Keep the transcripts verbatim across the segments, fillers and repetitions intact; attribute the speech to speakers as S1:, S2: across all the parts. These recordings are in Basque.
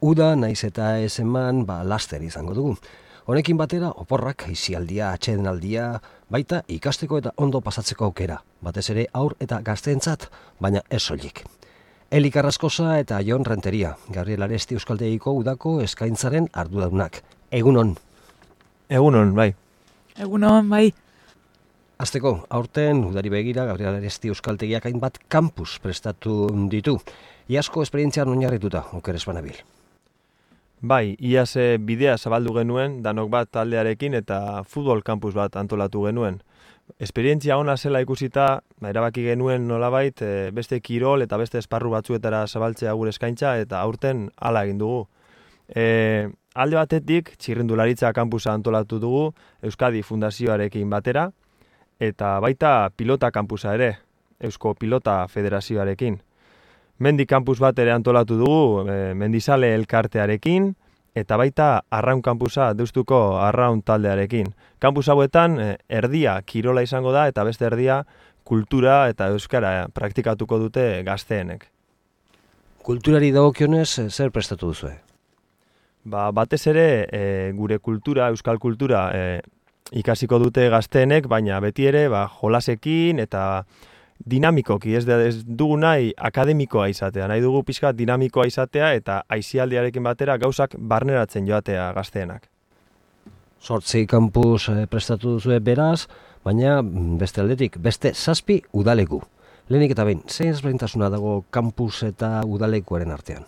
S1: Uda naiz eta ez eman, ba, laster izango dugu. Honekin batera, oporrak, aisialdia, atsedenaldia, baita ikasteko eta ondo pasatzeko aukera, batez ere aur eta gazteentzat, baina ez soilik. Eli Carrascosa eta Jon Renteria, Gabriel Aresti Euskaltegiko udako eskaintzaren arduradunak. Egunon.
S2: Egunon, bai.
S3: Egunon, bai.
S1: Azteko, aurten udari begira Gabriel Aresti Euskaltegiak hainbat kampus prestatu ditu. Iazko esperientzian oinarrituta, oker ez banabil.
S2: Bai, iaz bidea zabaldu genuen, danok bat taldearekin eta futbol kampus bat antolatu genuen. Esperientzia ona zela ikusita, ba, erabaki genuen nolabait e, beste kirol eta beste esparru batzuetara zabaltzea gure eskaintza eta aurten hala egin dugu. E, alde batetik, txirrindularitza kampusa antolatu dugu Euskadi Fundazioarekin batera, eta baita pilota kampusa ere, Eusko Pilota Federazioarekin. Mendi kampus bat ere antolatu dugu e, Mendizale elkartearekin, eta baita Arraun kampusa Deustuko Arraun taldearekin. Kampus hauetan e, erdia kirola izango da eta beste erdia kultura eta euskara praktikatuko dute gazteenek.
S1: Kulturari dagokionez zer prestatu duzue?
S2: Ba, batez ere e, gure kultura, euskal kultura e, ikasiko dute gazteenek, baina beti ere ba, jolasekin eta dinamikoki, ez, ez dugu nahi akademikoa izatea, nahi dugu pixka dinamikoa izatea eta aisialdiarekin batera gauzak barneratzen joatea gazteenak.
S1: Zortzi kampus prestatu duzue beraz, baina beste aldetik, beste zazpi udaleku. Lehenik eta behin, zein ezberdintasuna dago kampus eta udalekuaren artean?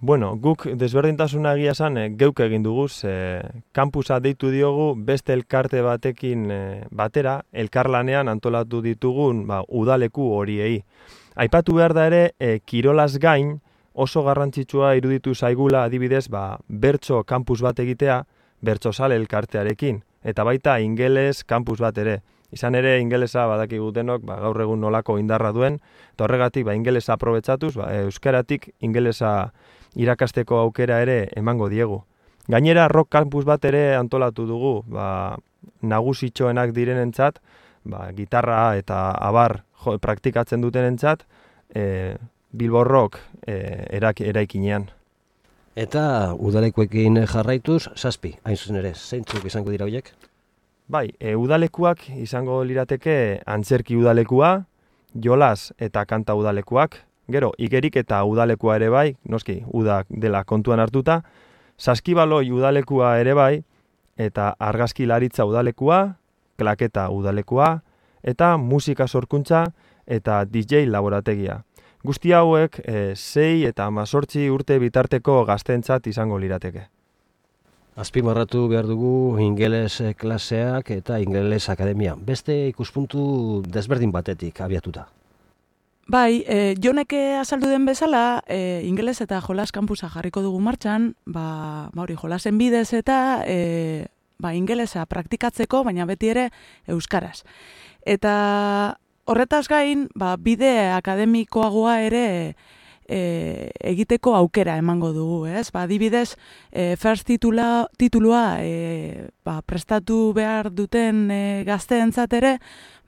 S2: Bueno, guk desberdintasuna egia esan e, geuk egin dugu, e, kampusa deitu diogu beste elkarte batekin e, batera, elkarlanean antolatu ditugun ba, udaleku horiei. Aipatu behar da ere, e, kirolaz gain oso garrantzitsua iruditu zaigula adibidez ba, bertso kampus bat egitea, bertsozale elkartearekin, eta baita ingeles kampus bat ere. Izan ere, ingelesa badakigu denok, ba, gaur egun nolako indarra duen, eta horregatik ba, ingelesa aprobetsatuz, ba, euskaratik ingelesa irakasteko aukera ere emango diegu. Gainera, rock campus bat ere antolatu dugu, ba, nagusitxoenak direnentzat, ba, gitarra eta abar jo, praktikatzen dutenentzat, e, Bilbo Rock e, erak, eraikinean.
S1: Eta udalekuekin jarraituz, zazpi, hain zuzen ere, zeintzuk izango dira horiek?
S2: Bai, e, udalekuak izango lirateke antzerki udalekua, jolas eta kanta udalekuak, gero, igerik eta udalekua ere bai, noski, udak dela kontuan hartuta, saskibaloi udalekua ere bai, eta argazkilaritza udalekua, klaketa udalekua, eta musika sorkuntza eta D J laborategia. Guzti hauek, e, sei eta amazortzi urte bitarteko gaztentzat izango lirateke.
S1: Azpimarratu behar dugu ingeles klaseak eta ingeles akademia. Beste ikuspuntu desberdin batetik abiatuta.
S3: Bai, e, joneke azaldu den bezala, e, ingeles eta jolas kampusa jarriko dugu martxan, ba, ba hori jolasen bidez eta e, ba, ingelesa praktikatzeko, baina beti ere euskaraz. Eta horretaz gain, ba, bide akademikoagoa ere e, egiteko aukera emango dugu, ez? Ba, adibidez, e, first titula, titulua e, ba, prestatu behar duten e, gazteentzat ere,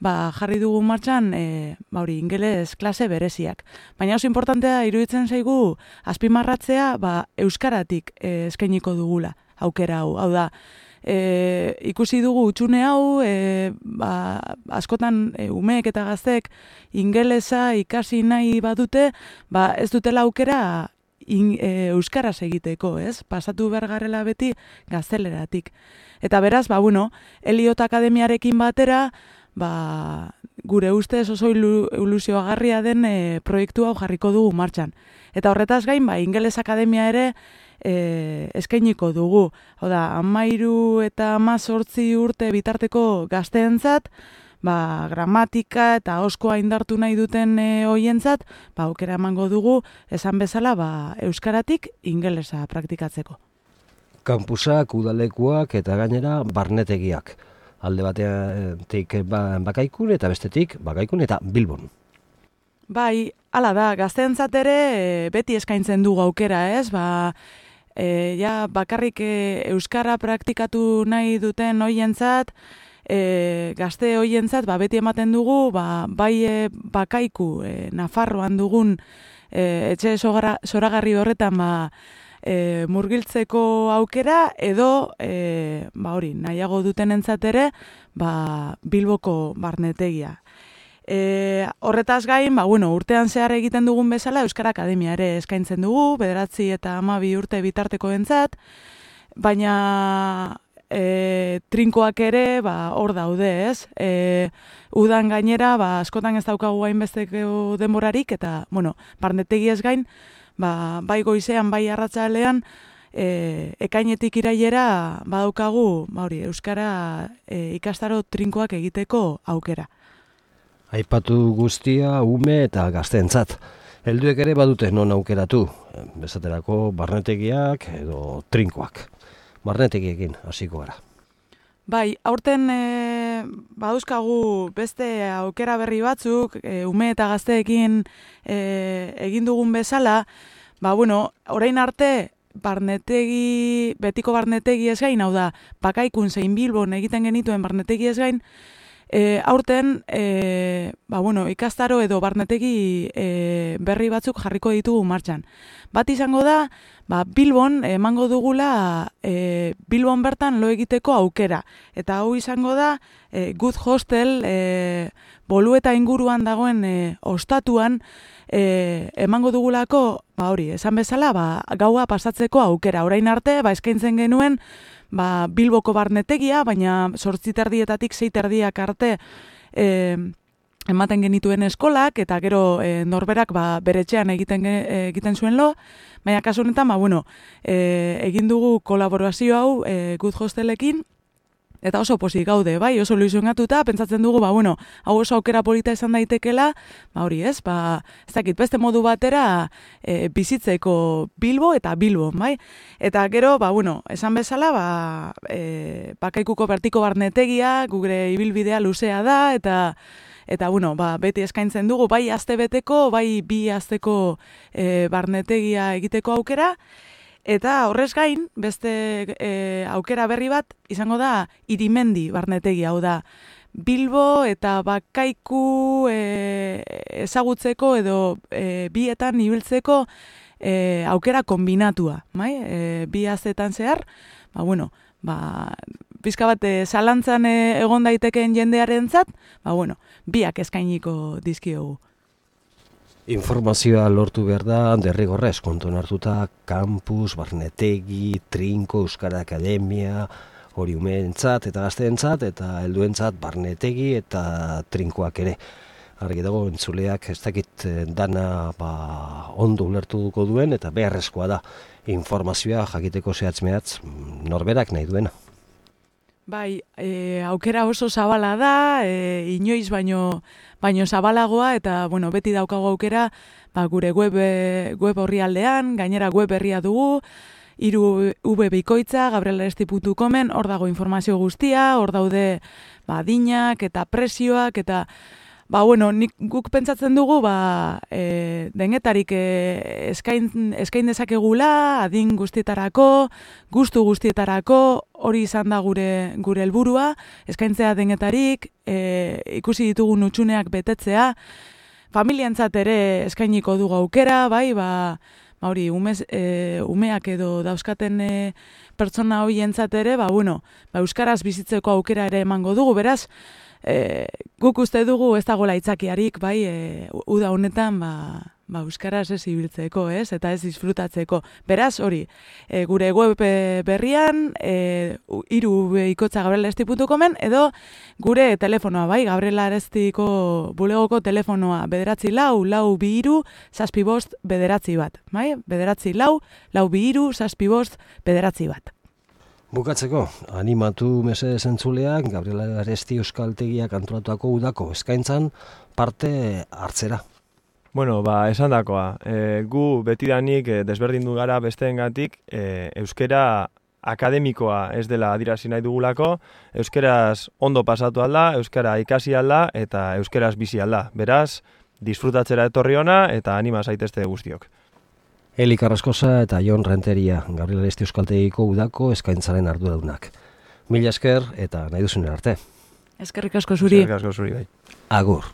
S3: ba, jarri dugu martxan, e, ba, hori, ingeles klase bereziak. Baina oso importantea iruditzen zaigu azpimarratzea, ba, euskaratik e, eskainiko dugula aukera hau. Hau da, e, ikusi dugu utxune hau, e, ba, askotan e, umeek eta gaztek ingelesa ikasi nahi badute, ba, ez dutela aukera in, e, euskaraz egiteko, ez? Pasatu behar garela beti gazteleratik. Eta beraz, ba, bueno, Eliot Akademiarekin batera, ba, gure ustez oso ilusioagarria den e, proiektu hau jarriko dugu martxan. Eta horretaz gain, ba, Ingeles Akademia ere e, eskainiko dugu. Hau da, hamairu eta hamazortzi urte bitarteko gazteentzat, ba, gramatika eta ahoskoa indartu nahi duten e, hoientzat, ba, aukera emango dugu, esan bezala, ba, euskaratik ingelesa praktikatzeko.
S1: Kampusak, udalekuak eta gainera barnetegiak. Alde batetik Bakaikun eta bestetik Bakaikun eta Bilbon.
S3: Bai, hala da, gazteentzat ere beti eskaintzen dugu aukera, ez? Ba, e, ja, bakarrik e, euskara praktikatu nahi duten hoientzat, e, gazte hoientzat, ba, beti ematen dugu, ba, bai e, Bakaiku, e, Nafarroan dugun e, etxe zoragarri horretan ba, e, murgiltzeko aukera edo e, ba hori, nahiago duten entzat ere ba, Bilboko barnetegia. E, horretaz gain, ba, bueno, urtean zehar egiten dugun bezala Euskara Akademia ere eskaintzen dugu, bederatzi eta hamabi urte bitarteko entzat, baina e, trinkoak ere ba, hor daude, ez? E, udan gainera, ba, askotan ez daukagu hainbesteko denborarik, eta, bueno, barnetegi ez gain, ba, bai goizean, bai arratsalean, e, ekainetik irailera badaukagu, ba, hori, Euskara e, ikastaro trinkoak egiteko aukera.
S1: Aipatu guztia ume eta gazteentzat. Helduek ere badute non aukeratu, bezaterako barnetegiak edo trinkoak. Barnetegiekin hasiko gara.
S3: Bai, aurten e, badauzkagu beste aukera berri batzuk, e, ume eta gazteekin e, egin dugun bezala, ba bueno, orain arte barnetegi, betiko barnetegi ez gain, hau da, Pakaikun zein Bilbon egiten genituen barnetegi ez gain, E, aurten, e, ba, bueno, ikastaro edo barnetegi e, berri batzuk jarriko ditugu martxan. Bat izango da, ba, Bilbon emango dugula e, Bilbon bertan lo egiteko aukera. Eta hau izango da, e, Good Hostel, e, Bolueta inguruan dagoen e, ostatuan, e, emango dugulako, ba, hori, esan bezala, ba, gaua pasatzeko aukera. Orain arte, ba, eskaintzen genuen, ba, Bilboko barnetegia, baina zortzi terdietatik sei terdiak arte e, ematen genituen eskolak, eta gero e, norberak ba, bere etxean egiten, egiten zuen lo, baina kasu honetan, ba, bueno, e, egin dugu kolaborazio hau e, Good Hostelekin, eta oso pozik gaude, bai, oso ilusionatuta, pentsatzen dugu, ba, bueno, hau oso aukera polita izan daitekela, ba, hori ez, ba, ez dakit, beste modu batera e, bizitzeko Bilbo eta Bilbo, bai? Eta gero, ba, bueno, esan bezala, ba, e, Pakaikuko bertiko barnetegia, gure ibilbidea luzea da, eta, eta bueno, ba, beti eskaintzen dugu, bai astebeteko, bai bi asteko e, barnetegia egiteko aukera, eta horrez gain, beste e, aukera berri bat, izango da Irimendi barnetegia, hau da, Bilbo eta Bakaiku e, ezagutzeko edo e, bietan ibiltzeko e, aukera kombinatua, bai? E, bi astetan zehar, ba, bueno, ba, pizka bat e, zalantzan e, egon daitekeen jendearentzat, ba, bueno, biak eskainiko dizkiogu.
S1: Informazioa lortu behar da, derrigorrez, kontuan hartuta, kampus, barnetegi, trinko, Euskara Akademia, hori umeentzat eta gazteentzat, eta helduentzat barnetegi eta trinkoak ere. Argi dago, entzuleak ez dakit dana ba, ondo ulertuko duen, eta beharrezkoa da informazioa jakiteko zehatz-mehatz norberak nahi duena.
S3: Bai, e, aukera oso zabala da, e, inoiz baino, baino zabalagoa, eta bueno, beti daukago aukera ba, gure web, web horri aldean, gainera web berria dugu, hiru v bikoitza, gabriel aresti puntu comen, hor dago informazio guztia, hor daude ba, adinak eta prezioak, eta ba, bueno, nik guk pentsatzen dugu, ba, e, denetarik e, eskain, eskain dezakegula, adin guztietarako, gustu guztietarako, hori izan da gure gure helburua, eskaintzea denetarik, e, ikusi ditugun hutsuneak betetzea, familientzat ere eskainiko dugu aukera, bai, ba, ba hori, umez, e, umeak edo dauzkaten e, pertsona hoientzat ere, ba, bueno, ba, euskaraz bizitzeko aukera ere emango dugu, beraz, E, guk uste dugu ez dagoela aitzakiarik, bai, e, uda honetan, ba, ba, euskaraz ez ibiltzeko, ez, eta ez disfrutatzeko. Beraz, hori, e, gure web berrian, e, hiru ikotza gabriel aresti puntu comen, edo gure telefonoa, bai, Gabriel Arestiko bulegoko telefonoa, bederatzi lau, lau bi hiru, zazpi bost, bederatzi bat, bai, bederatzi lau, lau bi hiru, zazpi bost, bederatzi bat.
S1: Bukatzeko, animatu mesedez entzuleak, Gabriel Aresti Euskaltegiak antolatuako udako eskaintzan parte hartzera.
S2: Bueno, ba, esan dakoa, e, gu betidanik e, desberdindu gara besteengatik, e, euskera akademikoa ez dela adierazi nahi dugulako, euskeraz ondo pasatu alda, euskara ikasi alda eta euskeraz bizi alda. Beraz, disfrutatzera etorri ona eta anima zaitezte guztiok.
S1: Eli Carrascosa eta Jon Renteria, Gabriel Aresti Euskaltegiko udako eskaintzaren arduradunak. Mila esker eta nahi duzunen arte.
S3: Eskerrik asko zuri.
S2: Eskerrik asko zuri, bai.
S1: Agur.